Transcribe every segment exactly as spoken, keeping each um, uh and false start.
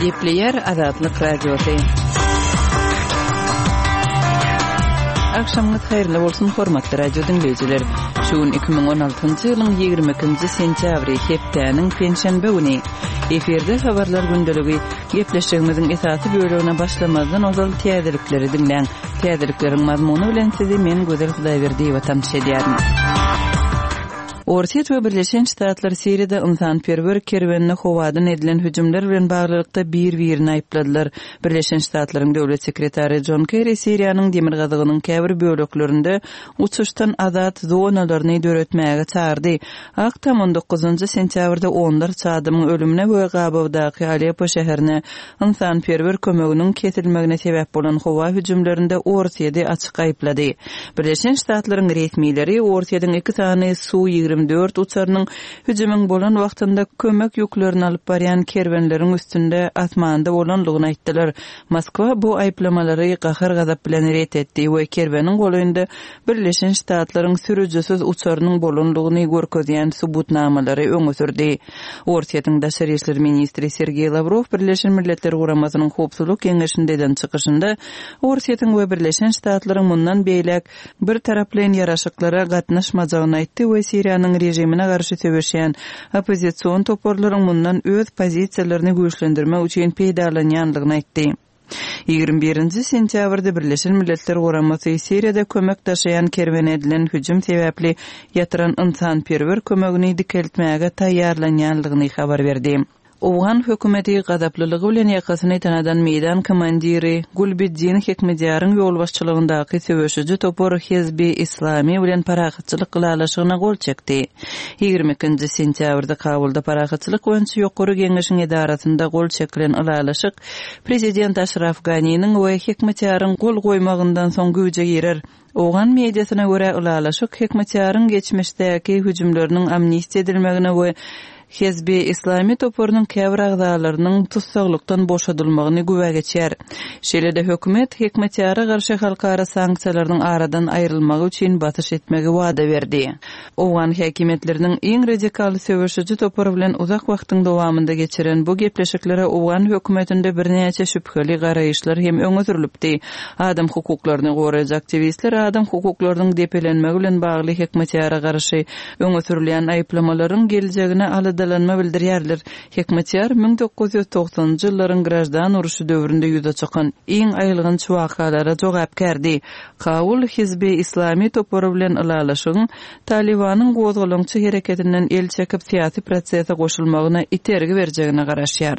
Gepleýär Azatlyk Radiosy. Agşamyňyz haýyrly bolsun, hormatly radio diňleýjiler. Şu gün iki müň on altynjy ýylyň ýigrimi ikinji sentýabry, hepdäniň penşenbe güni. Efirde habarlar gündeligi. Gepleşigimiziň esasy bölegine başlamazdan ozal täzelikleri diňläň. Täzelikleriň mazmuny bilen sizi men Gözel Hudaýberdiýewa tanyş edýärin. Orsýet we Birleşen Ştatlar Siriýada ynsanperwer kerwenine howadan edilen hüjümler bilen baglylykda bir-birini aýypladylar. Birleşen Ştatlaryň döwlet sekretary Jon Kerri Siriýanyň demirgazygynyň käbir böleklerinde uçuşdan azat zonalaryny döretmäge çagyrdy. Ak Tam on dokuzynjy sentýabrda onlarça adamyň ölümine we gabawdaky Aleppo şäherine ynsanperwer kömeginiň kesilmegine sebäp bolan howa hüjümlerinde Orsýeti açyk aýyplady. Birleşen Ştatlaryň resmileri Orsýetiň iki sany Su ýigrimi dört uçarynyň hüjümiň bolan wagtynda kömek ýüklerini alyp barýan kerwenleriň üstünde asmanda bolandygyny aýtdylar. Moskwa bu aýyplamalary gahar-gazap bilen ret etdi we kerweniň golaýynda Birleşen Ştatlaryň sürüjisiz uçarynyň bolandygyny görkezýän subutnamalary öňe sürdi. Orsýetiň daşary işler ministri Sergeý Lawrow Birleşen Milletler Guramasynyň Howpsuzlyk Geňeşinde eden çykyşynda Orsýetiň we Birleşen Ştatlaryň mundan beýläk bir taraplaýyn ýaraşyklara gatnaşmajagyny aýtdy we Siriýanyň režimine garşy söweşýän oppozision toparlaryň mundan öz pozisiýalaryny güýçlendirmek üçin peýdalanýandygyny aýtdy. Ýigrimi birinji sentýabrda Birleşen Milletler Guramasy Siriýada kömek daşaýan kerwene edilen hüjüm sebäpli ýatyran ynsanperwer kömegini dikeltmäge taýýarlanýandygyny habar berdi. Owgan hökümeti gazaplylygy bilen ýakasyny tanadan meýdan komandiri Gulbiddin Hekmedýaryň ýolbaşçylygyndaky söweşiji topar Hizbi Islami bilen parahatçylyk ylalaşygyna gol çekdi. Ýigrimi ikinji sentýabrda Kabulda parahatçylyk boýunça ýokary geňeşiň edarasynda gol çekilen ylalaşyk prezident Aşraf Ganiniň we Hekmedýaryň gol goýmagyndan soň güýje girer. Owgan mediasyna görä ylalaşyk Hekmedýaryň geçmişdäki hüjümleriniň amnistiýa edilmegine we Hizbi Islami toparynyň käbir agzalarynyň tussaglykdan boşadylmagyny güwä geçýär. Şeýle-de hökümet Hekmetýara garşy halkara sanksiýalarynyň aradan aýrylmagy üçin basyş etmegi wada berdi. Owgan häkimiýetleriniň iň radikal söweşiji topary bilen uzak wagtyň dowamynda geçiren bu gepleşiklere owgan hökümetinde birnäçe şübheli garaýyşlar hem öňe sürülipdi. Adam hukuklaryny goraýjy aktiwistler adam hukuklarynyň depelenmegi bilen bagly Hekmetýara garşy öňe sürülýän aýyplamalaryň geljegine aladalanma bildirýärler. Hekmetýar müň dokuz ýüz togsanynjy ýyllaryň graždan urşy döwründe ýüze çykan iň aýylganç wakalara jogapkärdi. Kabul Hizbi Islami topary bilen ylalaşygyň Talibanyň gozgalaňçy hereketinden el çekip syýasy prosese goşulmagyna itergi berjegine garaşýar.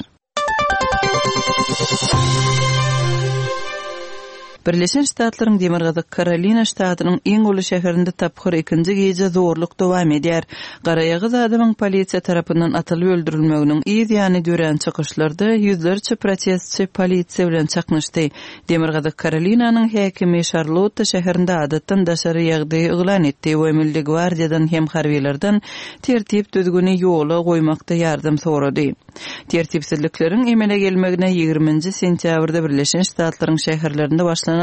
Birleşen Ştatlaryň Demirgazyk Karolina ştatynyň iň uly şäherinde tapgyr ikinji gije zorluk dowam edýär. Garaýagyz adamyň polisiýa tarapyndan atylyp öldürilmeginiň yz ýany dörän çykyşlarda ýüzlerçe protestçi polisiýa bilen çaknyşdy. Demirgazyk Karolinanyň häkimi Şarlotta şäherinde adatdan daşary ýagdaýy yglan etdi we Milli gwardiýadan hem harbilerden tertip düzgüni ýola goýmakda ýardam sorady. Tertipsizlikleriň emele gelmegine ýigriminji sentýabrda Birleşen Ştatlaryň şäherlerinde başlanan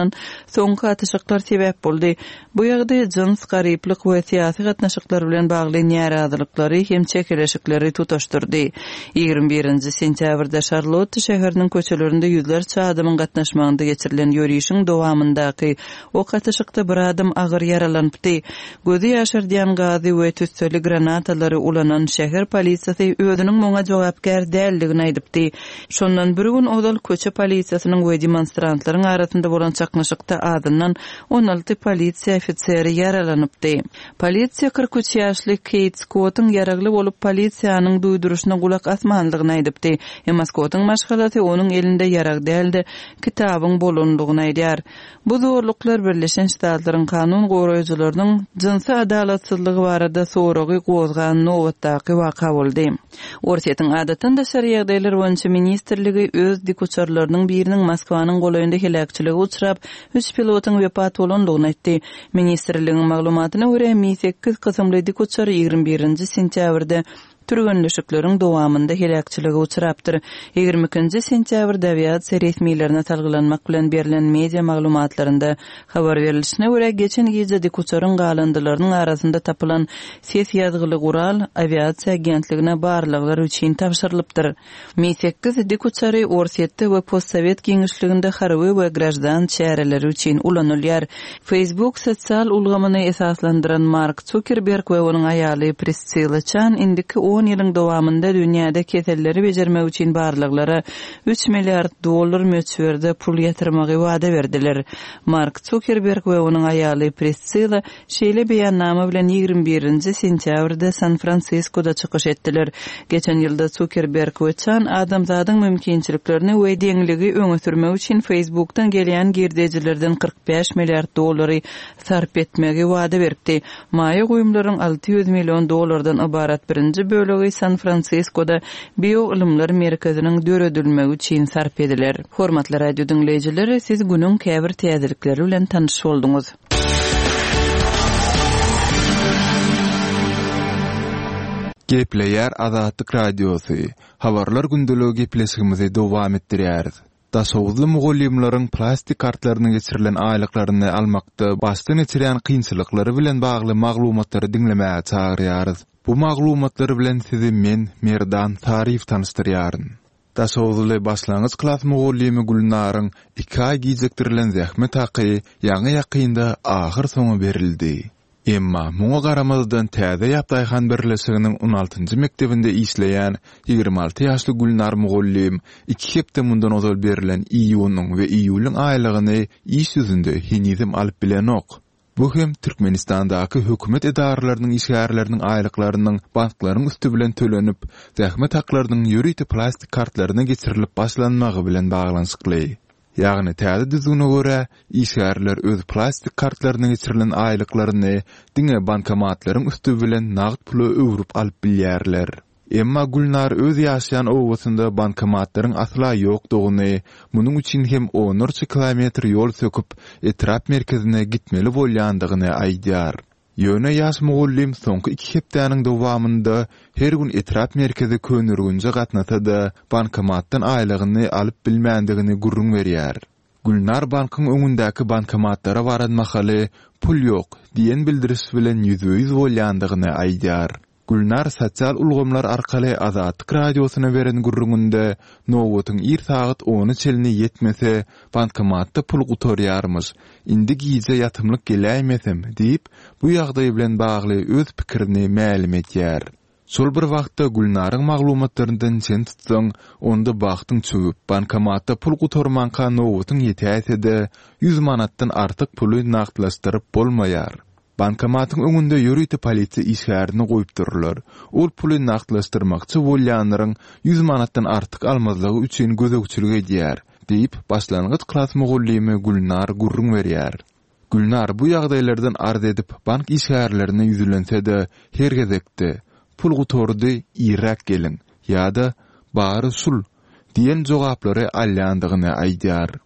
soňky atyşyklar sebäp boldy. Bu ýagdaý jyns, garyplyk we syýasy gatnaşyklar bilen bagly närazylyklary hem çekeleşikleri tutaşdyrdy. Ýigrimi birinji sentýabrda Şarlotta şäheriniň köçelerinde ýüzlerçe adamyň gatnaşmagynda geçirilen ýörişiň dowamyndaky ok atyşykda bir adam agyr ýaralanypdy. Gözi ýaşardýan gazy we tüsseli granatalary ulanan şäher polisiýasy özüniň muňa jogapkär däldigini aýdypdy. Şondan bir gün ozal köçe polisiýasynyň we demonstrantlaryň arasynda bolan çaknyşykda azyndan on alty polisiýa ofiseri ýaralanypdy. Polisiýa kyrk üç ýaşly Keýt Skottyň ýaragly bolup polisiýanyň duýduryşyna gulak asmandygyny aýdypdy. Emma Skottyň maşgalasy onuň elinde ýarag däldi, kitabyň bolandygyny aýdýar. Bu zorluklar Birleşen Ştatlaryň kanun goraýjylarynyň jynsy adalatsyzlygy barada soragy gozgan nobatdaky waka boldy. Orsýetiň adatdan daşary ýagdaýlar boýunça ministrligi öz dikuçarlarynyň biriniň Moskwanyň golaýynda heläkçilige uçrap, üç pilotyň wepat bolandygyny aýtdy. Ministrligiň maglumatyna görä, Mi sekiz kysymly dikuçar ýigrimi birinji sentýabrda türgenleşikleriň dowamynda heläkçilige uçrapdyr. Ýigrimi ikinji sentýabrda awiasiýa resmilerine salgylanmak bilen berlen media maglumatlarynda habar berlişine görä, geçen gije dikuçaryň galyndylarynyň arasynda tapylan ses ýazgyly gural awiasiýa agentligine barlaglar üçin tabşyrylypdyr. Mi sekiz dikuçary Orsýetde we postsowet giňişliginde harby we graždan çäreleri üçin ulanylýar. Facebook sosial ulgamyny esaslandyran Mark Zuckerberg we onuň aýaly Priscilla Chan indiki on ýylyň dowamynda dünýäde keselleri bejermek üçin barlaglara üç milliard dollar möçberde pul ýatyrmagy wada berdiler. Mark Zuckerberg we onuň aýaly Priscilla şeýle beýannama bilen ýigrimi birinji sentýabrda San-Fransiskoda çykyş etdiler. Geçen ýylda Zuckerberg we Chan adamzadyň mümkinçiliklerini we deňligi öňe sürmek üçin Facebookdan gelýän girdejilerden kyrk bäş milliard dollary sarp etmegi wada beripdi. Maýa goýumlaryň alty ýüz million dollardan ybarat birinji bölegi San-Fransiskoda bioylymlar merkeziniň döredilmegi üçin sarp ediler. Hormatly radio diňleýjiler, siz günüň käbir täzelikleri bilen tanyş bolduňyz. Gepleýär Azatlyk Radiosy. Habarlar gündeligi gepleşigimizi dowam etdirýäris. Daşoguzly mugallymlaryň plastik kartlaryna geçirilen aýlyklaryny almakda başdan geçirýän kynçylyklary bilen bagly maglumatlary diňlemäge çagyrýarys. Bu maglumatlar bilen sizi men, Merdan Saryýew tanyşdyrýaryn. Daşoguzly başlangyç klas mugallymy Gülnaryň iki aý gijikdirilen zähmet haky ýaňy-ýakynda ahyr soňy berildi. Emma muňa garamazdan Täze Ýap daýhan birleşiginiň on altynjy mekdebinde işleýän ýigrimi alty ýaşly Gülnar mugallym iki hepde mundan ozal berlen iýunyň we iýulyň aýlygyny iş ýüzünde henizem alyp bilenok. Bu hem Türkmenistandaky hökümet edaralarynyň işgärleriniň aýlyklarynyň banklaryň üsti bilen tölenip, zähmet haklarynyň ýörite plastik kartlaryna geçirilip başlanmagy bilen baglanyşykly. Ýagny täze düzgüne görä, işgärler öz plastik kartlaryna geçirilen aýlyklaryny diňe bankomatlaryň üsti bilen nagt pula öwrüp alyp bilýärler. Emma Gülnar öz ýaşaýan obasynda bankomatlaryň asla ýokdugyny, munuň üçin hem onlarça kilometr ýol söküp, etrap merkezine gitmeli bolýandygyny aýdýar. Ýöne ýaş mugallym soňky iki hepdäniň dowamynda her gün etrap merkezi Köneürgenje gatnasa-da, bankomatdan aýlygyny alyp bilmändigini gürrüň berýär. Gülnar bankyň öňündäki bankomatlara baran mahaly pul ýok diýen bildiriş bilen ýüzbe-ýüz bolýandygyny aýdýar. Gülnar sosial ulgamlar arkaly Azatlyk radiosyna beren gürrüňinde nobatyň ir sagat ona çenli ýetmese, bankomatda pul gutarýarmyş, indi gije ýatymlyk geläýmesem diýip, bu ýagdaý bilen bagly öz pikirini mälim edýär. Şol bir wagtda Gülnaryň maglumatlaryndan çen tutsaň, onda bagtyň çöwüp, bankomatda pul gutarmanka nobatyň ýetäýse-de, ýüz manatdan artyk puly nagtlaşdyryp bolmaýar. Bankomatyň öňünde ýörite polisiýa işgärini goýupdyrlar. Ol puly nagtlaşdyrmakçy bolýanlaryň ýüz manatdan artyk almazlygy üçin gözegçilik edýär, diýip, başlangyç klas mugallymy Gülnar gürrüň berýär. Gülnar bu ýagdaýlardan arz edip, bank işgärlerine ýüzlense-de, her gezekde pul gutardy, irräk geliň ýa-da bary şul diýen jogaplary alýandygyny aýdýar.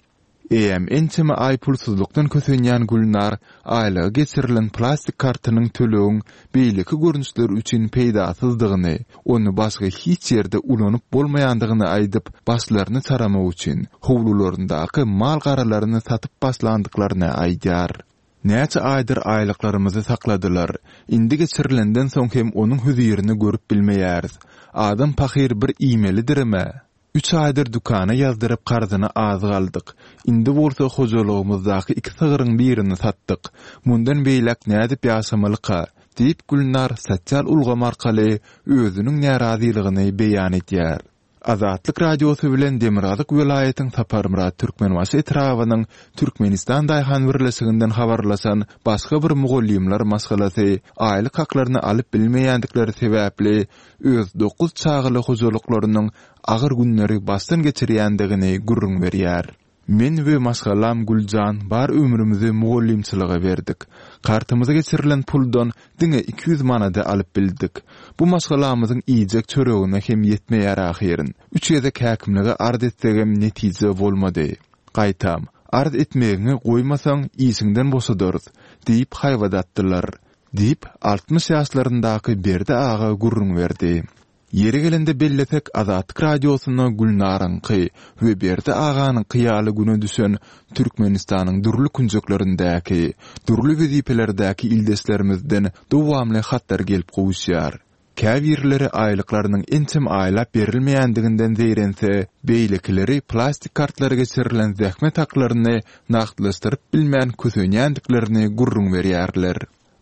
Eýem ençeme aý pulsuzlykdan kösenýän Gülnar aýlyga geçirilen plastik kartynyň tölegiň beýleki görnüşleri üçin peýdasyzdygyny, ony başga hiç ýerde ulanyp bolmaýandygyny aýdyp, başlaryny çaramak üçin howlularyndaky mal garalaryny satyp başlandyklaryny aýdýar. Näçe aýdyr aýlyklarymyzy sakladylar. Indi geçirilenden soň hem onuň hözirini görüp bilmeýäris. Adam pahyr bir iýmelidirme? Üç aýdyr dükana ýazdyryp karzyny az aldyk. Indi bolsa hojalygymyzdaky iki sygyryň birini satdyk. Mundan beýläk nädip ýaşamalyka? Diýip Gülnar sosial ulgam arkaly özüniň närazylygyny beýan edýär. Azatlyk Radiosy bilen Demirgazyk welaýatyň Saparmyrat Türkmenbaşy etrabynyň Türkmenistan Daýhan birleşiginden habarlaşan başga bir mugallymlar maşgalasy aýlyk haklaryny alyp bilmeýändikleri sebäpli öz dokuz çagaly hojalyklarynyň agyr günleri başdan geçirýändigini gürrüň berýär. Men we maşgalam Güljan bar ömrümizi mugallymçylyga berdik. Kartymyza geçirilen puldan diňe iki ýüz manady alyp bildik. Bu maşgalamyzyň iýjek çöregine hem ýetmeýär ahyryn. Üç gezek häkimlige arz etsegem netije bolmady. Gaýtam, arz etmegiňi goýmasaň işiňden boşadarys, diýip haýbat atdylar. Diýip, altmyş ýaşlaryndaky Berdi aga gürrüň berdi. Ýeri gelende bellesek, Azatlyk Radiosyna Gülnaryňky we Berdi aganyňky ýaly güne düşen Türkmenistanyň dürli künjeklerindäki, dürli wezipelerdäki ildeşlerimizden dowamly hatlar gelip gowuşýar. Käbirleri aýlyklarynyň ençeme aýlap berilmeýändiginden zeýrense, beýlekileri plastik kartlara geçirilen zähmet haklaryny nagtlaşdyryp bilmän kösenýändiklerini gürrüň berýärler.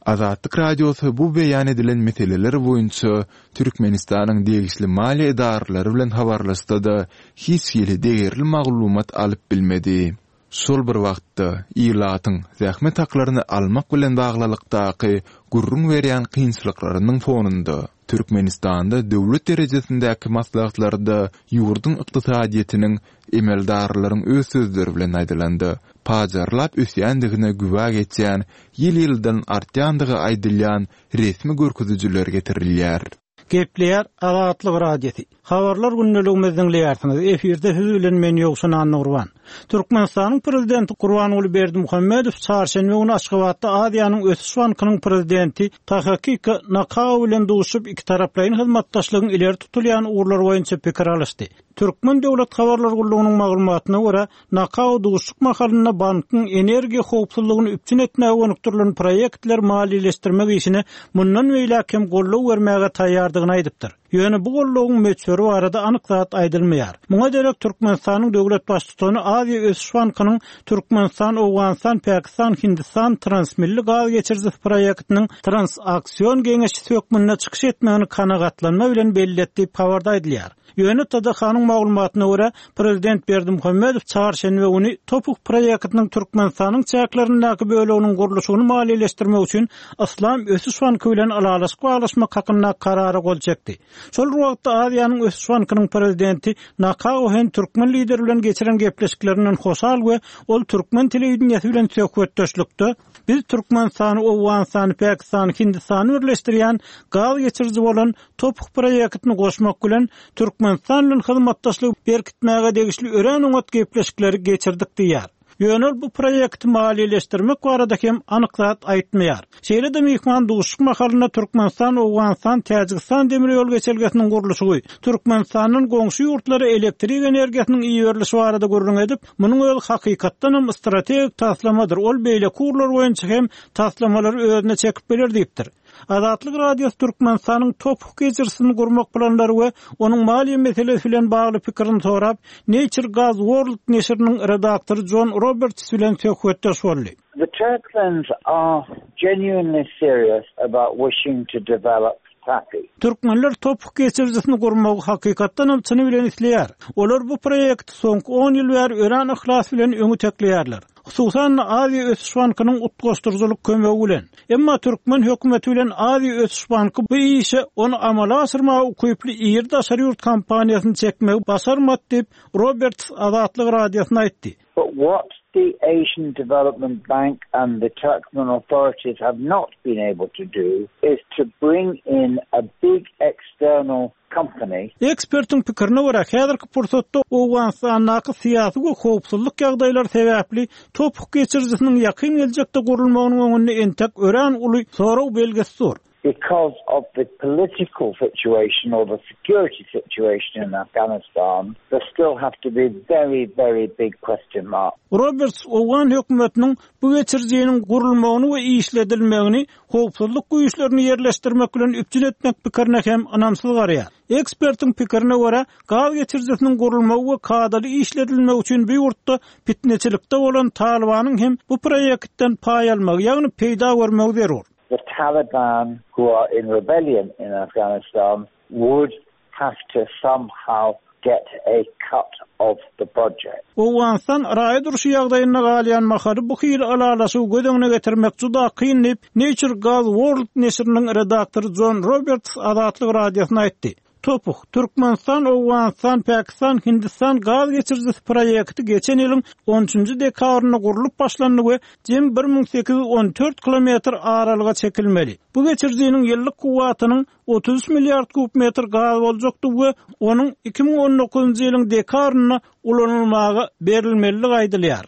Azatlyk Radiosy bu beýan edilen meseleler boýunça Türkmenistanyň degişli maliýe edaralary bilen habarlaşsa-da, hiç hili degerli maglumat alyp bilmedi. Şol bir wagtda, ilatyň zähmet haklaryny almak bilen baglylykdaky gürrüň berýän kynçylyklarynyň fonunda, Türkmenistanda döwlet derejesindäki maslahatlarda ýurduň ykdysadyýetiniň emeldarlaryň öz sözleri bilen aýdylanda, pajarlap ösýändigine güwä geçýän, ýyl-ýyldan artýandygy aýdylýan resmi görkezijiler getirilýär. Gepleýär Azatlyk Radiosy. Habarlar gündeligimizi diňleýärsiňiz. Efirde siz bilen men Ýowşan Annagurban. Türkmenistanyň prezidenti Gurbanguly Berdimuhamedow çarşenbe güni Aşgabatda Aziýanyň Ösüş bankynyň prezidenti Takahiko Nakao bilen duşup ikitaraplaýyn hyzmatdaşlygyň ileri tutulýan ugurlary boýunça pikir alyşdy. Türkmen döwlet habarlar gullugynyň maglumatyna görä, Nakao duşuşyk mahalynda bankyň energiýa howpsuzlygyny üpjün etmäge gönükdirilen proýektler maliýeleşdirmek işine mundan beýläk hem goldaw bermäge taýýardygyny aýdypdyr. Ýöne bu goldawyň möçberi barada anyk zat aýdylmaýar. Muňa derek Türkmenistanyň döwlet baştutany Aziýa Ösüş bankynyň Türkmenistan, Owganystan, Pakistan, Hindistan transmilli gaz geçirijisi proýektiniň transaksion geňeşçisi hökmünde çykyş etmegini kanagatlanma bilen belli etdi diýip habarda aýdylýar. Ýöne T D H-nyň maglumatyna görä, prezident Berdimuhamedow çarşenbe güni TOPH proýektiniň Türkmenistanyň çäklerindäki böleginiň gurluşygyny maliýeleşdirmek üçin Yslam Ösüş banky bilen ylalaşyk baglaşmak hakynda karara gol çekdi. Şol wagtda Aziýanyň Ösüş bankynyň prezidenti Nakao hem türkmen lideri bilen geçiren gepleşiklerinden hoşal we ol türkmen telewideniýesi bilen söhbetdeşlikde biz Türkmenistany, Owganystany, Pakistany, Hindistany birleşdirýän gaz geçiriji bolan TOPH proýektini goşmak bilen Türkmenistan bilen hyzmatdaşlygy berkitmäge degişli örän oňat gepleşikleri geçirdik diýýär. Ýöne bu proýekti maliýeleşdirmek barada hem anyk zat aýtmaýar. Şeýle-de myhman duşuşyk mahalynda Türkmenistan, Owganystan, Täjigistan demir ýol geçelgesiniň gurluşygy, Türkmenistandan goňşy ýurtlara elektrik energiýasynyň iberilişi barada gürrüň edip, munuň öz hakykatdan hem strategik taslamadyr. Ol beýleki ugurlar boýunça hem taslamalary özüne çekip biler diýipdir. Azatlyk Radiosy Türkmenistanyň TOPH geçirijisini gurmak planlary we onuň maliýe meselesi bilen bagly pikirini sorap, Nature Gas World neşiriniň redaktory John Roberts bilen söhbetdeş boldy. The Turkmens are genuinely serious about wishing to develop TAPI. Türkmenler TOPH geçirijisini gurmagy hakykatdan hem çyny bilen isleýär. Olar bu proýekti soňky on ýyl bäri örän yhlas bilen öňe tekleýärler. Hususan Aziýa Ösüş bankynyň utgaşdyryjylyk kömegi bilen. Emma türkmen hökümeti bilen Aziýa Ösüş banky bu işe ony amala aşyrmaga ukyply iri daşary ýurt kompaniýasyny çekmegi başarmady diýip Roberts Azatlyk Radiosyna aýtdy. But what the Asian Development Bank and the Turkmen authorities have not been able to do is to bring in a big external company. Ekspertiň pikirine görä, häzirki pursatda Owganystandaky syýasy we howpsuzlyk ýagdaýlary sebäpli TOPH geçirijisiniň ýakyn geljekde gurulmagynyň öňünde entek örän uly sorag belgisi dur. Because of the political situation or the security situation in Afghanistan, there still have to be very, very big question marks. Roberts Owgan hökümetiniň bu geçirijiniň gurulmagyny we işledilmegini howpsuzlyk güýçlerini ýerleşdirmek bilen üpjün etmek pikirine hem ynamsyz garaýar. Ekspertiň pikirine görä, gaz geçirijisiniň gurulmagy we kadaly işledilmegi üçin bu ýurtda fitneçilikde bolan Talibanyň hem bu proýektden paý almagy, ýagny peýda görmegi zerur. The Taliban, who are in rebellion in Afghanistan, would have to somehow get a cut of the project. Owganystan raýat urşy ýagdaýynda galýan mahaly bu hili ylalaşygy göz öňüne getirmek juda kyn diýip Nature Gas World neşiriniň redaktory John Roberts Azatlyk Radiosyna aýtdy. TOPH, Türkmenistan, Owganystan, Pakistan, Hindistan gaz geçirijisi proýekti geçen ýylyň on üçünji dekabrynda gurlup başlandy we jem bir müň sekiz ýüz on dört kilometr aralyga çekilmeli. Bu geçirijiniň ýyllyk kuwwatynyň otuz üç milliard kub metr gaz boljakdy we onuň iki müň on dokuzynjy ýylyň dekabrynda ulanylmaga berilmelidigi aýdylýar.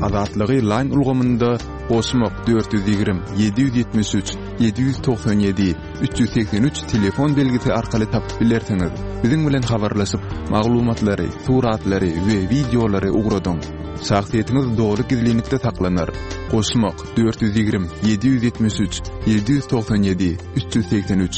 Azatlygy line ulgamynda goşmak dört ýüz ýigrimi, ýedi ýüz ýetmiş üç, ýedi ýüz togsan ýedi, üç ýüz segsen üç telefon belgisi arkaly tapyp bilersiňiz. Biziň bilen habarlaşyp, maglumatlary, suratlary we wideolary ugradyň. Şahsyýetiňiz doly gizlinlikde saklanar. Goşmak dört ýüz ýigrimi, ýedi ýüz ýetmiş üç, ýedi ýüz togsan ýedi, üç ýüz segsen üç.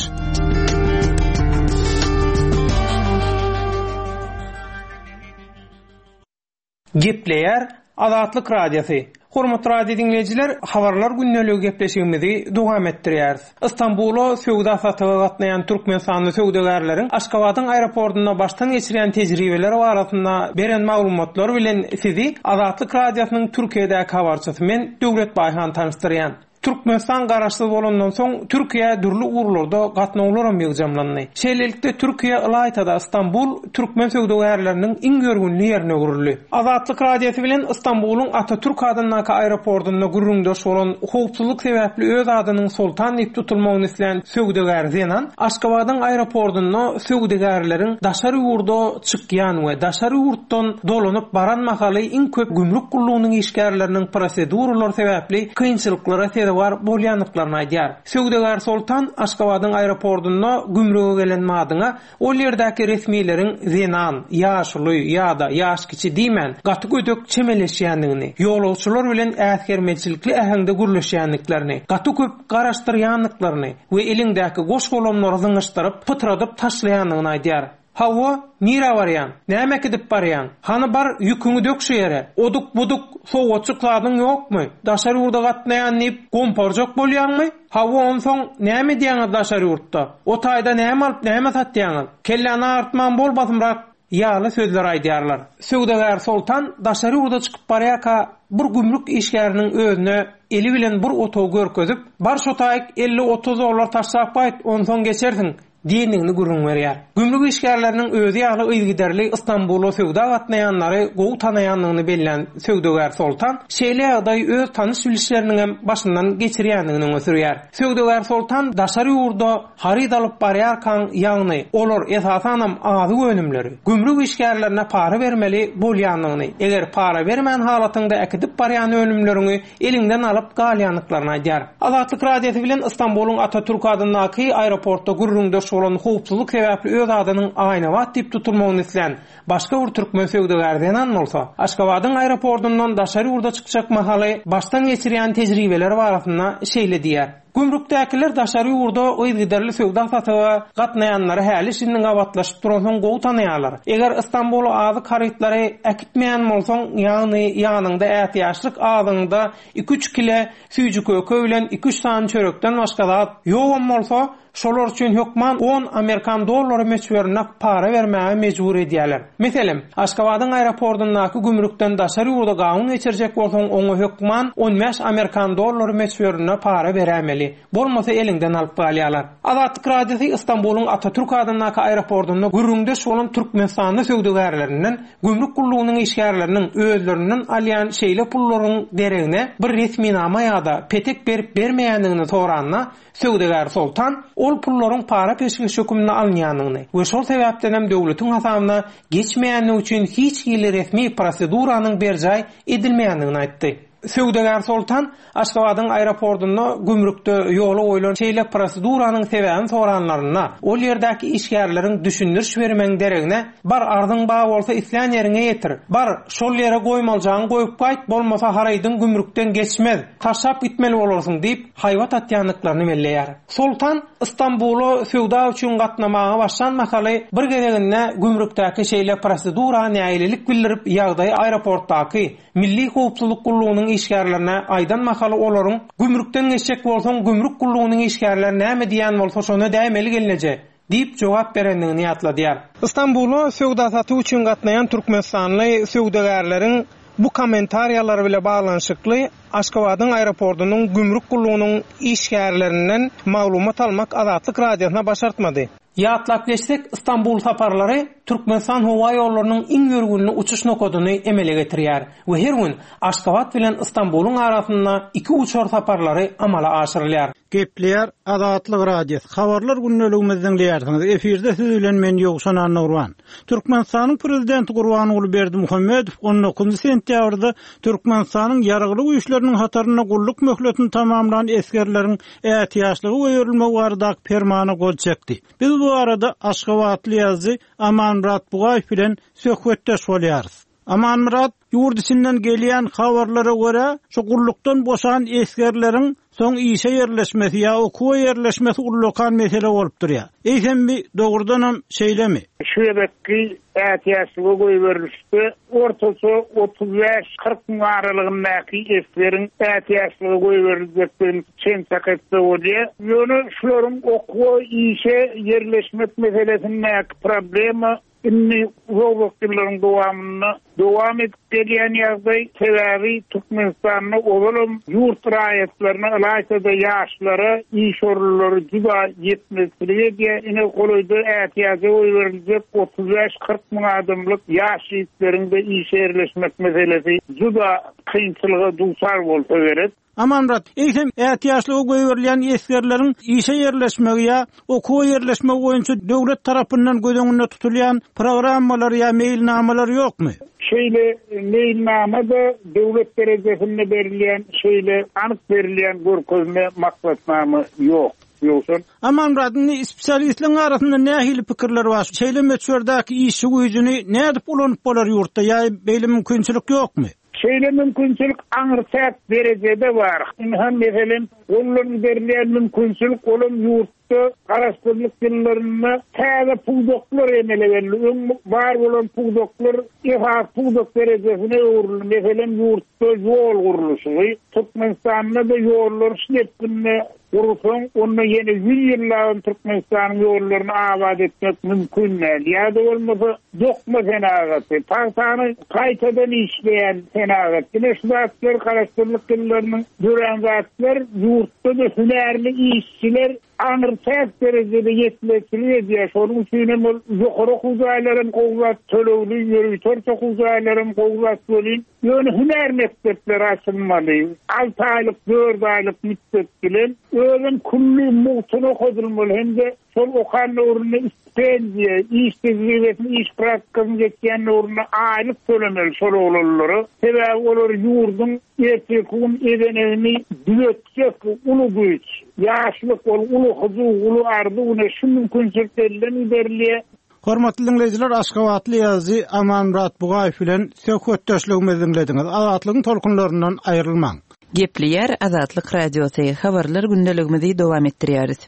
Gepleýär Azatlyk Radiosy. Hormatly radio diňleýjiler, habarlar gündeligi gepleşigimizi dowam etdirýäris. Istanbula söwda satyga gatnaýan Türkmenistanly söwdagärleriň Aşgabadyň aeroportunda başdan geçirýän tejribeleri barasynda beren maglumatlar bilen sizi Azatlyk Radiosynyň Türkiýedäki habarçysy men Döwlet Baýhan tanyşdyrýan. Türkmenistan garaşsyz bolandan soň Türkiýe dürli ugurlarda gatnawlaram ýygjamlandy. Şeýlelikde Türkiýe ylaýtada Istanbul türkmen söwdagärleriniň iň ýörgünli ýerine öwrüldi. Azatlyk Radiosy bilen Istanbulyň Atatürk adyndaky aeroportunda gürrüňdeş bolan howpsuzlyk sebäpli öz adynyň Soltan diýip tutulmagyny islän söwdagär zenan Aşgabadyň aeroportunda söwdagärleriň daşary ýurda çykýan we daşary ýurtdan dolanyp baran mahaly iň köp gümrük gullugynyň işgärleriniň proseduralar sebäpli kynçylyklara sezewar bolýandyklaryny aýdýar. Söwdagär Soltan Aşgabadyň aeroportunda gümrüge gelen madyňa ol ýerdäki resmileriň zenan, ýaşuly ýa-da ýaş kiçi diýmän gaty gödek çemeleşýändigini, ýolagçylar bilen äsgermezçilikli äheňde gürleşýändiklerini, gaty köp garaşdyrýandyklaryny we eliňdäki goş golamlary zyňyşdyryp, pytradyp taşlaýandygyny aýdýar. Hawa, nirä barýaň? Näme gidip barýaň? Hany bar, ýüküňi dök şu ýere. Oduk-buduk, sowgatçyk zadyň ýokmy? Daşary ýurda gatnaýan diýip gomparjak bolýaňmy? Hawa, onsoň näme edýäňiz daşary ýurtda? O taýda näme alyp, näme satýaňyz? Kelläni agyrtman bol basymrak ýaly sözler aýdýarlar. Söwdagär Soltan daşary ýurda çykyp barýarka bir gümrük işgäriniň özüne eli bilen bir otagy görkezip, bar şo taýyk elli-otuz dollar taşlap gaýt, onsoň geçersiň diýendigini gürrüň berýär. Gümrük işgärleriniň özi ýaly yzygiderli Istanbula söwda gatnaýanlary gowy tanaýandygyny bellän söwdagär Soltan şeýle ýagdaý öz tanyş bilişleriniň hem başyndan geçirýändigini öňe sürýär. Söwdagär Soltan daşary ýurda haryt alyp barýarkaň, ýagny olar esasanam azyk önümleri gümrük işgärlerine para bermeli bolýandygyny, eger para bermän halatyňda äkidip barýan önümleriňi eliňden alyp galýandyklaryny aýdýar. Azatlyk Radiosy bilen Istanbulyň Atatürk adyndaky aeroportda gürrüňdeş bolan howpsuzlyk sebäpli öz adynyň Aýnabat diýip tutulmagyny islän başga bir türkmen söwdagär zenan bolsa, Aşgabadyň aeroportundan daşary ýurda çykjak mahaly başdan geçirýän tejribeleri barasynda şeýle diýýär. Gümrükdäkiler daşary ýurda yzygiderli söwda satyga gatnaýanlary häli şindi gabatlaşyp duransoň gowy tanaýarlar. Eger Istanbula azyk harytlary äkitmeýän bolsaň, ýagny ýanyňda ätiýaçlyk azyňda iki-üç kile süýji köke bilen iki-üç sany çörekden başga zat ýogam bolsa, şolar üçin hökman on amerikan dollary möçberinde para bermäge mejbur edýärler. Meselem, Aşgabadyň aeroportundaky gümrükden daşary ýurda gawun geçirjek bolsaň, oňa hökman on bäş amerikan dollary möçberinde para berämeli. Bolmasa eliňden alyp galýarlar. Azatlyk Radiosy Istanbulyň Atatürk adyndaky aeroportunda gürrüňdeş bolan Türkmenistanly söwdagärlerinden gümrük gullugynyň işgärleriniň özlerinden alýan şeýle pullaryň deregine bir resminama ýa-da petek berip bermeýändigini soranda, söwdagär Soltan ol pullaryň para peşgeş hökmünde alynýandygyny we şol sebäpden hem döwletiň hasabyna geçmeýändigi üçin hiç hili resmi proseduranyň berjaý edilmeýändigini aýtdy. Söwdagär Soltan Aşgabadyň aeroportunda gümrükde ýola goýlan şeýle proseduranyň sebäbini soranlarynda, ol ýerdäki işgärleriň düşündiriş bermegiň deregine, bar arzyň bar bolsa islän ýeriňe ýetir, bar şol ýere goýmaljagyňy goýup gaýt, bolmasa harydyň gümrükden geçmez, taşlap gitmeli bolarsyň diýip haýbat atýandyklaryny belleýär. Soltan Istanbula söwda üçin gatnamaga başlan mahaly bir gezeginde gümrükdäki şeýle prosedura nägilelik bildirip ýagdaýy aeroportdaky Milli howpsuzlyk gullugynyň işgärlerine aýdan mahaly olaryň gümrükden geçjek bolsaň gümrük gullugynyň işgärleri näme diýen bolsa şona dämeli gelneje diýip jogap berendigini ýatladýar. Istanbula söwda satyw üçin gatnaýan Türkmenistanly söwdagärleriň bu kommentariýalary bile baglanyşykly Aşgabadyň aeroportunyň gümrük gullugynyň işgärlerinden maglumat almak Azatlyk Radiosyna başartmady. Ýatlap geçsek, Istanbul saparlary Türkmenistan howa ýollarynyň iň ýörgünli uçuş nokadyny emele getirýär we her gün Aşgabat bilen Istanbulyň arasynda iki uçar saparlary amala aşyrylýar. Gepleýär Azatlyk Radiosy. Habarlar gündeligimizi diňleýärsiňiz. Efirde siz bilen men Ýowşan Annagurban. Türkmenistanyň prezidenti Gurbanguly Berdimuhamedow on dokuzynjy sentýabrda Türkmenistanyň ýaragly güýçleriniň hatarynda gulluk möhletini tamamlan esgerleriň ätiýaçlygy goýberilmegi baradaky permana gol çekdi. Biz bu arada Aşgabatly ýazyjy Amanmyrat Bugaýew bilen söhbetdeş bolýarys. Amanmyrat, ýurt içinden gelýän habarlara görä, şu gullukdan boşan esgerleriň soň işe ýerleşmesi ýa okuwa ýerleşmesi ullakan mesele bolup durýar. Eýsem bi dogrudanam şeýlemi? Şu gezekki ätiýaçlyga goýberilişde ortaça otuz bäş kyrk müň aralygyndaky esgeriň ätiýaçlyga goýberiljekdigini çen çak etse bolýar. Ýöne şularyň okuwa işe ýerleşmek meselesindäki problema indi uzak ýyllaryň dowamynda dowam edip gelýän ýagdaý, sebäbi Türkmenistanda ozalam ýurt raýatlaryna, ylaýta-da ýaşlara iş orunlary juda ýetmezçilik edýär. Ine golaýda ätiýaja goýberiljek otuz bäş kyrk müň adamlyk ýaş ýigitleriň-de işe ýerleşmek meselesi juda kynçylyga duçar bolsa gerek. Amanmyrat, eýsem ätiýaçlyga goýberilýän esgerleriň işe ýerleşmegi ýa okuwa ýerleşmegi boýunça döwlet tarapyndan göz öňünde tutulýan programmalar ýa meýilnamalar ýokmy? Şeýle meýilnama-da döwlet derejesinde berilýän, şeýle anyk berilýän görkezme maksatnama ýok. Ýoksa Amanmyrat, indi spesialistleriň arasynda nähili pikirler bar? Şeýle möçberdäki işçi güýjüni nädip ulanyp bolar ýurtda ýa beýle mümkinçilik ýokmy? Şeýle mümkinçilik aňyrçak derejede bar. Indi meselem, ondan berilýän mümkinçilik olam ýurtda garaşsyzlyk ýyllarynda täze pudaklar emele geldi. Öň bar bolan pudaklar esas pudak derejesine öwrüldi. Meselem, ýurtda ýol gurluşygy, Türkmenistanda da ýollar şepbinde gurulsa, onda ýene ýüz ýyllap Türkmenistanyň ýollaryny abat etmek mümkin däl. Ýa-da bolmasa dokma senagaty, pagtany gaýtadan işleýän senagat. Ine şu zatlar garaşsyzlyk ýyllarynyň dörän zatlar, ýurtda da hünärli işçiler aňyrçak derejede ýetmezçilik edýär. Şonuň üçin hem ol ýokary okuw jaýlaryň gowzat tölegli, ýörite okuw jaýlaryň gowzat welin, ýöne hünär mekdepleri açylmaly. Alty aýlyk, dört aýlyk müddet bilen özüm külli mugtuna okadylmaly hem-de şol okan döwründe stipendiýa, iş tejribesini, iş praktikasyny geçýän döwründe aýlyk tölemeli şol oglanlara. Sebäbi olar ýurduň erteki gün edenegini düzetjek uly güýç, ýaşlyk, ol uly hyjuw, uly arzuw, ine şu mümkinçilik elden giderilýär. Hormatly dinleýjiler, Aşgabatly ýazyjy Amanmyrat Bugaýew bilen söhbetdeşligimizi diňlediňiz. Azatlygyň tolkunlaryndan aýrylmaň. Gepleýär Azatlyk Radiosy. Habarlar gündeligimizi dowam etdirýäris.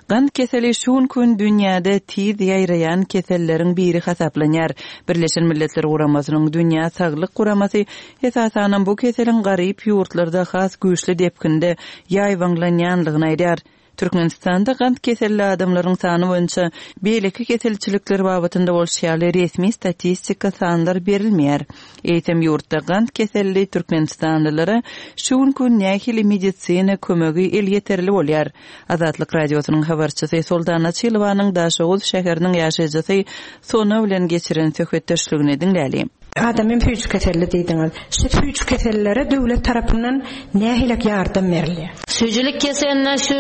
Gant keseli şu gün dünýäde tiz ýaýraýan keselleriň biri hasaplanýar. Birleşen Milletler Guramasynyň Dünýä Saglyk Guramasy esasanam bu keseliň garyp ýurtlarda has güýçli depginde ýaýbaňlanýanlygyny aýdar. Türkmenistanda gant keselli adamlaryň sany boýunça beýleki keselçilikler babatynda bolşy ýaly resmi statistika sanlar berilmeýär. Eýsem ýurtda gant keselli türkmenistanlylara şu gün nähili medisina kömegi elýeterli bolýar. Azatlyk Radiosynyň habarçysy Soltan Açylowanyň Daşoguz şäheriniň ýaşaýjysy Sona bilen geçiren söhbetdeşligini diňläli. Adamym süýji keselli diýdiňiz. Şu süýji kesellilere döwlet tarapyndan nähili ýardam berilýär? Süýjülik keseline şu,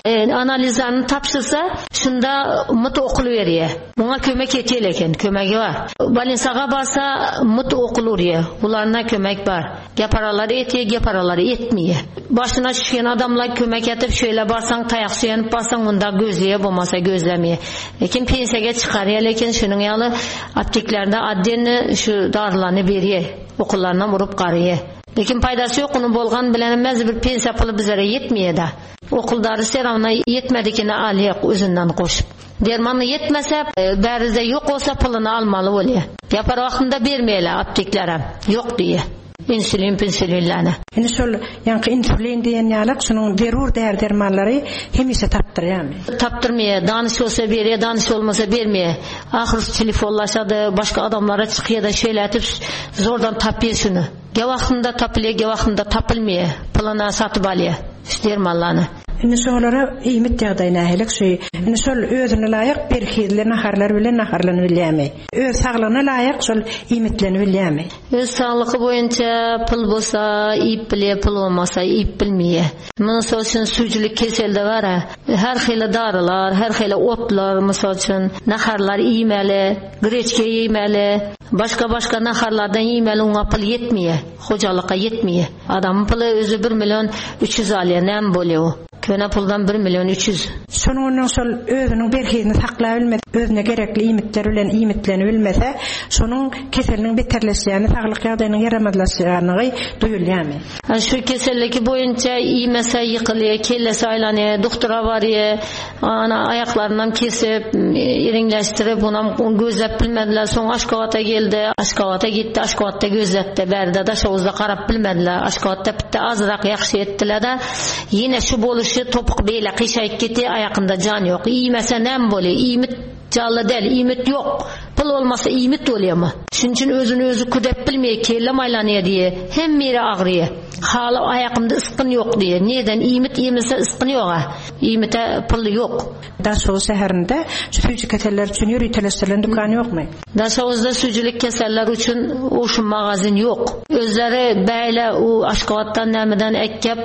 e, analizlerini tapşyrsa, şunda mut okul berýär. Muňa kömek etýär eken, kömegi bar. Balinsaga barsa mut okul urýar. Bularına kömek bar. Geparalary etýär, geparalary etmeýär. Başyna düşen adamlar kömek etip, şöyle barsaň, taýak söýenip barsaň, munda gözleýär, bolmasa gözlemeýär. Lekin pensiýaga çykarýar, lekin şunuň ýaly apteklerde addenni şu darylaryny berýär. Okullaryndan urup garýar. Lekin paýdasy ýok, onuň bolgan bilenmez bir pensiýa puly bizlere ýetmeýär da. Okuldary seramna ýetmedikini alýar özünden goşup. Dermany ýetmese, e, bärize ýok bolsa puluny almaly bolýar. Ýapar wagtynda bermeýärler apteklere. Ýok diýe. Insülin, pensilinlerine. Indi şol ýaňky insülin diýen ýalyk şunuň zerur däri dermanlary hemişe tapdyrýarmy? Tapdyrmaýar. Danyş bolsa berýär, danyş bolmasa bermeýär. Ahyr telefonlaşady, başga adamlara çykýar da şeýle etip zordan tapýar şuny. Ge wagtynda tapylýar, ge wagtynda tapylmaýar. Puluna satyp alýar şu dermanlaryny. Indi şolara iýmit ýagdaýy nähili şu indi şol özüne laýyk berhizli naharlar bilen naharlanyp bilýärmi? Öz saglygyna laýyk şol iýmitlenip bilýärmi? Öz saglygy boýunça pul bolsa iýip bilýär, pul bolmasa iýip bilmeýär. Mysal üçin süýjülik keselde bar. Her hili darylar, her hili otlar, mysal üçin naharlar iýmeli, greçke iýmeli, başga başga naharlardan iýmeli, oňa pul ýetmeýär, hojalyka ýetmeýär. Adamyň puly özi bir million üç ýüz alýar, näme bolýar o? Köne puldan bir million üç ýüz. Şonuň ondan şol özüniň berhizini saklap bilmese, özüne gerekli iýmitler bilen iýmitlenip bilmese, şonuň keseliniň beterleşýäni, saglyk ýagdaýynyň ýaramazlaşýanyny duýulýarmy? Şu keselliki boýunça iýmese ýykylýar, kellesi aýlanýar, doktora barýar, ana aýaklaryndan kesip, iriňleşdirip, onam gözläp bilmediler. Soň Aşgabata geldi, Aşgabata gitdi, Aşgabatda gözletdi. Bärde Daşoguzda garap bilmediler. Aşgabatda bitti azrak ýagşy etdiler de, ýene şu boluşy topuk beýle gyşaýyp gitdi, aýakynda jan ýok. Iýmese näme bolýar? Iýmit janly däl, iýmit ýok. Pul bolmasa iýmit bolýarmy? Şunuň üçin özüni özü küdep bilmeýär, kelle maýlanýar diýe, hem ýeri agryýar. Haly aýakymda ysgyn ýok diýe. Neden iýmit iýmese ysgyn ýok ha? Iýmite pul ýok. Daşoguz şäherinde şu süýji keseller üçin ýöriteleşdirilen dükan ýokmy? Daşoguzda süýjülik keseller üçin uşun magazin ýok. Özleri beýle u Aşgabatdan nämeden ekip,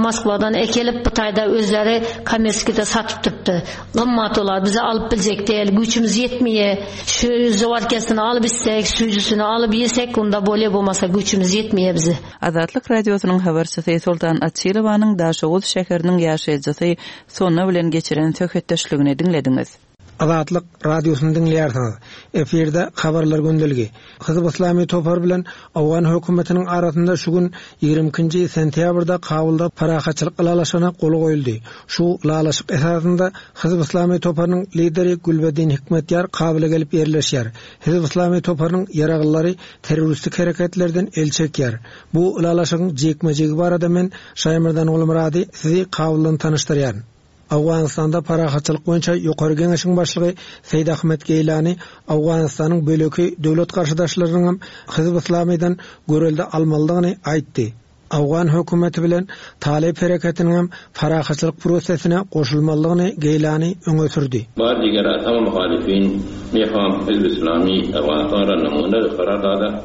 Moskwadan ekelip bu taýda özleri kommersiýada satyp durupdy. Gymmat olar bize alyp biljek däl, güýçümiz ýetmeýär. Şu zawarkasını alyp içsek, süýjüsini alyp ýesek, onda bolýar, bolmasa güýçümiz ýetmeýär bize. Azatlyk Radiosynyň habarçysy Sultan Açilowanyň Daşoguz şäheriniň ýaşaýjysy Sona bilen geçiren söhbetdeşligini diňlediňiz. Azatlyk Radiosyny diňleýärsiňiz. Efirde habarlar gündeligi. Hizb Islami topar bilen Awgan hökümetiniň arasynda şu gün ýigrimi ikinji sentýabrda Kabulda parahatçylyk ylalaşygyna gol goýuldy. Şu ylalaşyk esasynda Hizb Islami toparynyň lideri Gülbeddin Hikmetýar Kabula gelip ýerleşýär. Hizb Islami toparynyň ýaraglyary terroristik hereketlerden el çekýär. Bu ylalaşygyň jikme-jigi barada men Şaýmyrdan Gulmurady sizi Kabuldan tanyşdyrýaryn. Awganystanda parahatçylyk boýunça ýokary geňeşiň başlygy Seýid Ahmet Geýlani Awganystanyň böleki döwlet garşydaşlarynyň hem Hizb Islamidan görelde almalydygyny aýtdy. Awgan hökümeti bilen Talip hereketiniň hem parahatçylyk prosesine goşulmalydygyny Geýlani öňe sürdi. Bar diger atam muhalifin meham Hizb Islami Awganystana namuna karar dada.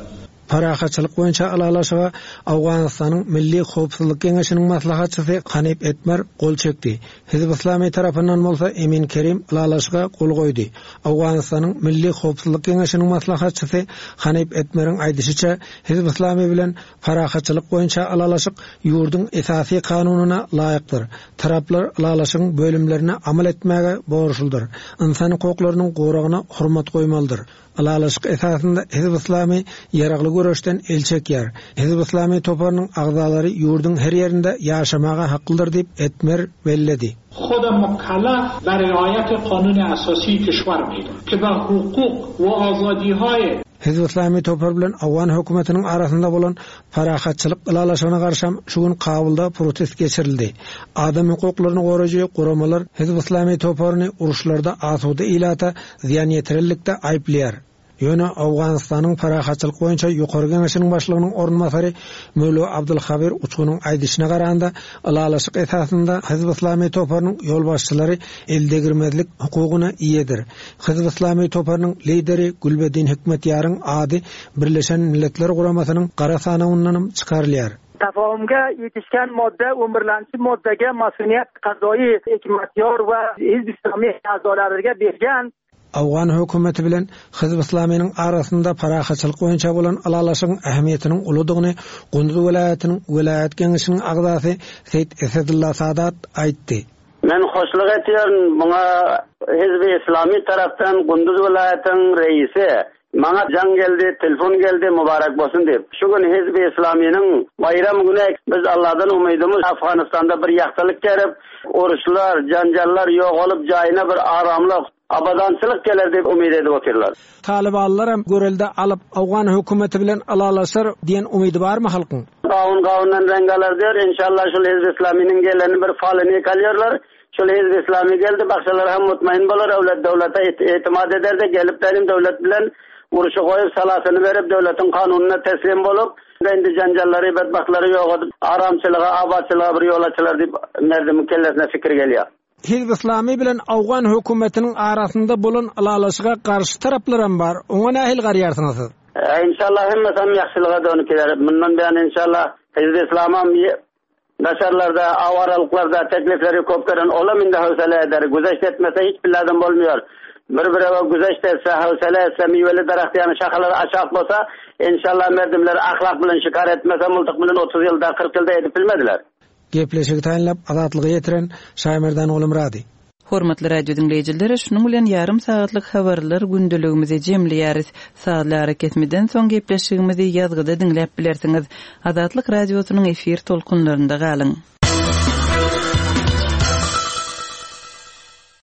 Parahatçylyk boýunça ylalaşyga Awganystanyň Milli Howpsuzlyk Geňeşiniň maslahatçysy Hanif Etmer gol çekdi. Hizb Islami tarapyndan bolsa Emin Kerim ylalaşyga gol goýdy. Awganystanyň Milli Howpsuzlyk Geňeşiniň maslahatçysy Hanif Etmeriň aýdyşyça Hizb Islami bilen parahatçylyk boýunça ylalaşyk ýurduň esasy kanunyna laýykdyr. Taraplar ylalaşygyň bölümlerine amal etmäge borçludyr. Insan hukuklarynyň goragyna hurmat goýmalydyr. Ylalaşyk esasynda Hizb Islami ýaragly göreşden el çekýär. Hizb Islami toparynyň agzalary ýurduň her ýerinde ýaşamaga haklydyr diýip Etmer belledi. خود مکلف به رعایت قانون اساسی کشور می‌داند که به حقوق و آزادی‌های Hizb Islami topar bilen Awgan hökümetiniň arasynda bolan parahatçylyk ylalaşygyna garşy şu gün Kabulda protest geçirildi. Adam hukuklaryny goraýjy guramalar Hizb Islami toparyny uruşlarda asuda ilata zyýan ýetirillikde aýyplaýar. Ýöne Awganystanyň parahatçylyk boýunça ýokary geňeşiniň başlygynyň orunbasary Möwlü Abdulhabir Uçgunyň aýdyşyna garanda ylalaşyk esasynda Hizb Islami toparynyň ýolbaşçylary eldegirmezlik hukugyna eýedir. Hizb Islami toparynyň lideri Gülbeddin Hikmetýaryň ady Birleşen Milletler Guramasynyň gara sanawyndan çykarylýar. Tafahumga yetishgan modda o'n birinchi moddaga mas'uliyat qazoiy Hikmatyor va Hizb Islomiy a'zolariga bergan. Awgan hökümeti bilen Hizb Islamiyanyň arasynda parahatçylyk boýunça bolan ylalaşygyň ähmiýetiniň uludygyny Gunduz welaýatynyň welaýat geňeşiniň agzasy Seýit Esedullah Sadat aýtdy. Men hoşluk etýän muňa Hizb Islami tarapdan Gunduz welaýatynyň reisi maňa jaň geldi, telefon geldi, mübarek bolsun diýip. Şu gün Hizb Islamiyanyň bayram günü biz Allahdan umydymyz Afganistanda bir ýagtylyk gelip, uruşlar, janjallar ýok bolup jaýyna bir aramlyk, abadançylyk geler diýip umyt edip otyrlar. Talibanlar hem görelde alyp Awgan hökümeti bilen ylalaşar diýen umydy barmy halkyň? Gawun gawundan reng alar diýer. Inşallah şul Hizb Islamiyanyň geleni bir falyny kalýarlar. Şul Hizb Islami geldi, bakşalar hem mutmain bolar, döwlet döwlete itimat eder de gelip benim döwlet bilen Urşy goýup, salasyny berip, döwletiň kanunyna teslim bolup, indi janjallary, bedbahtlary ýok edip, aramçylyga, abatçylyga bir ýol açylar diýip, merdimiň kellesine fikir gelýär. Hizb Islami bilen Awgan hökümetiniň arasynda bolan ylalaşyga garşy taraplaram bar. Oňa nähili garaýarsyňyz siz? E, inşallah hemmesem ýagşylyga dönüp gider. Mundan beýan inşallah Hizb Islamam daşarlarda, awaralyklarda teklifleri köp gelen olam indi howsala eder. Güzeşt etmese hiç billadan bolmuyor. Bir birewe güzeşt etse, howsala etse, miweli daraht ýany şahalary aşak bolsa, inşallah merdimler ahlak bilen şikar etmese, multyk bilen otuz ýylda, kyrk ýylda edip bilmediler. Gepleşigi taýynlap Azatlyga ýetiren Şaýmerdan Gulumyrady. Hormatly radio diňleýjiler, şunuň bilen ýarym sagatlyk habarlar gündeligimizi jemleýäris. Sazly arakesmeden soň gepleşigimizi ýazgyda diňläp bilersiňiz. Azatlyk radiosynyň efir tolkunlarynda galyň.